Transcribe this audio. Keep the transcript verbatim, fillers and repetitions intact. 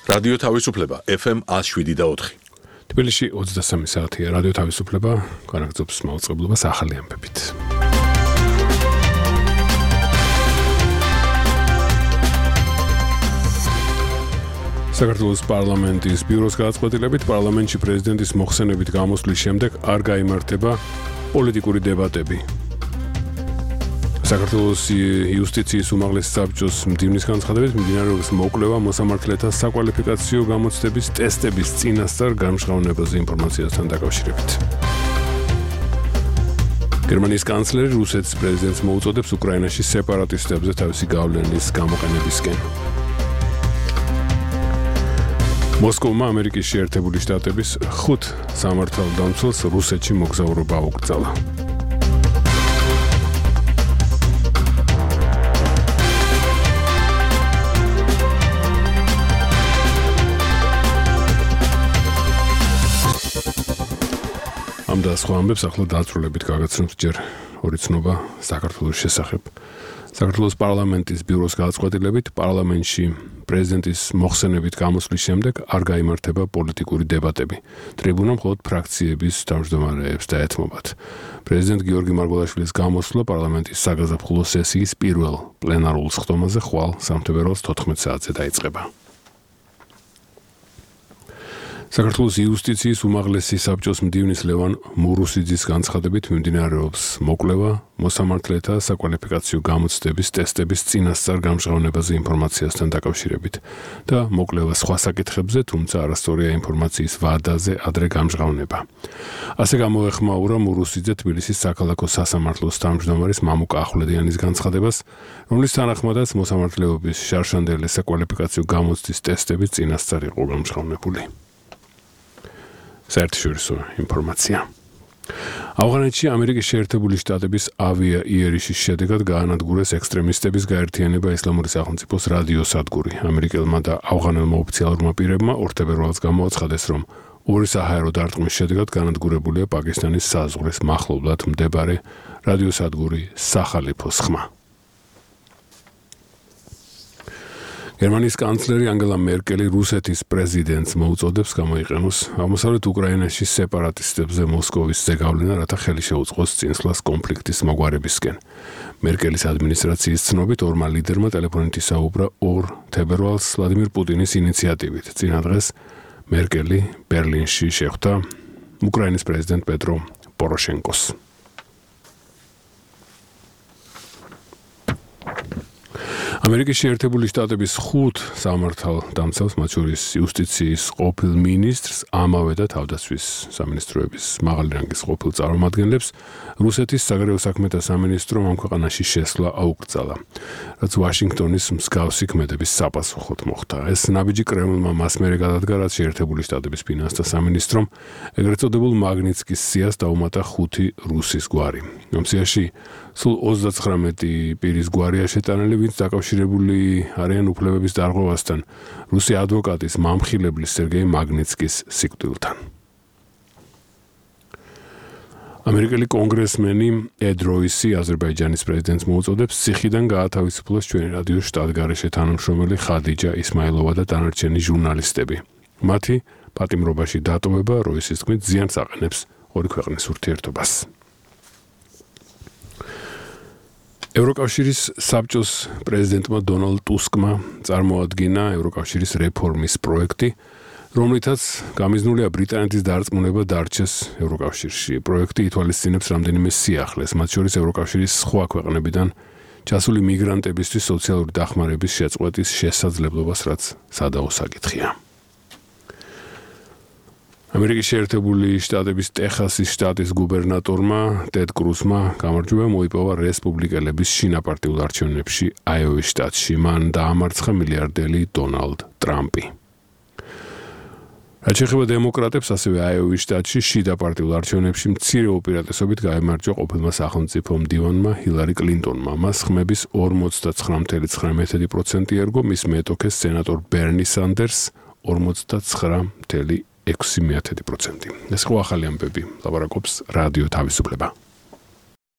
რადიო თავისუფლება ეფ ემ ათს შვიდი და ოთხი. თბილისში ოცდასამი საათია რადიო თავისუფლება განაგრძობს მაუწყებლობას ახალი ამბებით. საქართველოს პარლამენტის ბიუროს გადაწყვეტილებით პარლამენტში პრეზიდენტის მოხსენებით გამოსვლის შემდეგ არ გაიმართება პოლიტიკური დებატები. საქართველოს იუსტიციის უმაღლესი საბჭოს მდივნის განცხადებით მიმდინარეობს მოკვლევა მოსამართლეთა საკვალიფიკაციო გამოცდების ტესტების წინასწარ გამჟღავნებაზე ინფორმაციასთან დაკავშირებით. გერმანიის კანცლერი რუსეთის პრეზიდენტს მოუწოდებს უკრაინაში სეპარატისტებზე თავისი გავლენის გამოყენებისკენ. მოსკოვმა ამერიკის შეერთებული შტატების ხუთ სამართალდამცველს რუსეთში მოგზაურობა აუკრძალა. ამ და სხვა ამბებს ახლა დაწვრილებით გაგაცნობთ ჯერ ორი ცნობა საქართველოს შესახებ. საქართველოს პარლამენტის ბიუროს გადაწყვეტილებით პარლამენტში პრეზიდენტის მოხსენებით გამოსვლის შემდეგ არ გაიმართება პოლიტიკური დებატები. ტრიბუნა მხოლოდ ფრაქციების თავმჯდომარეებს დაეთმობათ. პრეზიდენტ გიორგი მარგველაშვილის გამოსვლა პარლამენტის საგაზაფხულო სესიის პირველ პლენარულ სხდომაზე ხვალ სამთებერვალს თოთხმეტ საათზე დაიწყება. საქართველოს იუსტიციის უმაღლესი საბჭოს მდივნის ლევან მურუსიძის განცხადებით მიმდინარეობს მოკვლევა მოსამართლეთა საკვალიფიკაციო გამოცდების ტესტების წინასწარ გამჟღავნებაზე ინფორმაციასთან დაკავშირებით და მოკვლევა სხვა საკითხებზე, თუმცა არასწორია ინფორმაციის ვადაზე ადრე გამჟღავნება. ასე გამოეხმაურა მურუსიძე თბილისის საქალაქო სასამართლოს თავმჯდომარის მამუკა ახვლედიანის განცხადებას, რომლის თანახმადაც მოსამართლეობის შარშანდელი საკვალიფიკაციო გამოცდის ტესტები წინასწარ იყო გამჟღავნებული. საერთაშორისო ინფორმაცია. ავღანეთში ამერიკის შეერთებული შტატების ავია იერიშის შედეგად გაანადგურეს ექსტრემისტების გაერთიანება ისლამური სახელმწიფოს რადიოსადგური. ამერიკელმა და ავღანელმა ოფიციალურმა პირებმა ორ თებერვალს გამოაცხადეს, რომ ორი საჰაერო დარტყმის შედეგად გაანადგურებულია პაკისტანის საზღვრის მახლობლად მდებარე რადიოსადგური სახალიფოს ხმა. გერმანიის კანცლერი ანგელა მერკელი რუსეთის პრეზიდენტს მოუწოდებს გამოიყენოს აღმოსავლეთ უკრაინაში სეპარატისტებზე მოსკოვის ზეგავლენა, რათა ხელი შეუწყოს წინსვლას კონფლიქტის მოგვარებისკენ. მერკელის ადმინისტრაციის ცნობით ორმა ლიდერმა ტელეფონით ისაუბრა ორ თებერვალს ვლადიმირ პუტინის ინიციატივით. წინა დღეს მერკელი ბერლინში შეხვდა უკრაინის პრეზიდენტ პეტრო პოროშენკოს. ამერიკის შეერთებული შტატების ხუთ სამართალდამცველს, მათ შორის იუსტიციის ყოფილ მინისტრს, ამავე და თავდაცვის სამინისტროების მაღალი რანგის ყოფილ წარმომადგენლებს რუსეთის საგარეო საქმეთა სამინისტრომ ამ ქვეყანაში შესვლა აუკრძალა, რაც ვაშინგტონის მსგავსი ქმედების საპასუხოდ მოხდა. ეს ნაბიჯი კრემლმა მას მერე გადადგა, რაც შეერთებული შტატების ფინანსთა სამინისტრომ ეგრეთ წოდებულ მაგნიცკის სიას დაუმატა ხუთი რუსის გვარი. ამ სიაში სულ ოცდაცხრამეტი პირის გვარია შეტანილი, ვინც დაკავშირებული არიან უფლებების დარღვევასთან რუსი ადვოკატის მამხილებლის სერგეი მაგნიცკის სიკვდილთან. ამერიკელი კონგრესმენი ედ როისი აზერბაიჯანის პრეზიდენტს მოუწოდებს ციხიდან გაათავისუფლოს ჩვენი რადიოს შტატგარეშე თანამშრომელი ხადიჯა ისმაილოვა და დანარჩენი ჟურნალისტები. მათი პატიმრობაში დატოვება როისის თქმით ზიანს აყენებს ორი ქვეყნის ურთიერთობას. ევროკავშირის საბჭოს პრეზიდენტმა დონალდ ტუსკმა წარმოადგინა ევროკავშირის რეფორმის პროექტი, რომლითაც გამიზნულია ბრიტანეთის დარწმუნება დარჩეს ევროკავშირში. პროექტი ითვალისწინებს რამდენიმე სიახლეს, მათ შორის ევროკავშირის სხვა ქვეყნებიდან ჩასული მიგრანტებისთვის სოციალური დახმარების შეწყვეტის შესაძლებლობას, რაც სადაო საკითხია. ამერიკის შეერთებული შტატების ტეხასის შტატის გუბერნატორმა ტედ კრუსმა გამარჯვება მოიპოვა რესპუბლიკელების შინაპარტიულ არჩევნებში აიოვის შტატში. მან დაამარცხა მილიარდელი დონალდ ტრამპი. რაც შეეხება დემოკრატებს, ასევე აიოვის შტატში შიდა პარტიულ არჩევნებში მცირე უპირატესობით გაიმარჯვა ყოფილმა სახელმწიფო მდივანმა ჰილარი კლინტონმა. მას ხმების ორმოცდაცხრა წუთი ცხრა პროცენტი ერგო, მის მეტოქეს სენატორ ბერნი სანდერსს ორმოცდაცხრა წუთი ექვსი პროცენტი. ეს ხო ახალი ამბები, ლაპარაკობს რადიო თავისუფლება.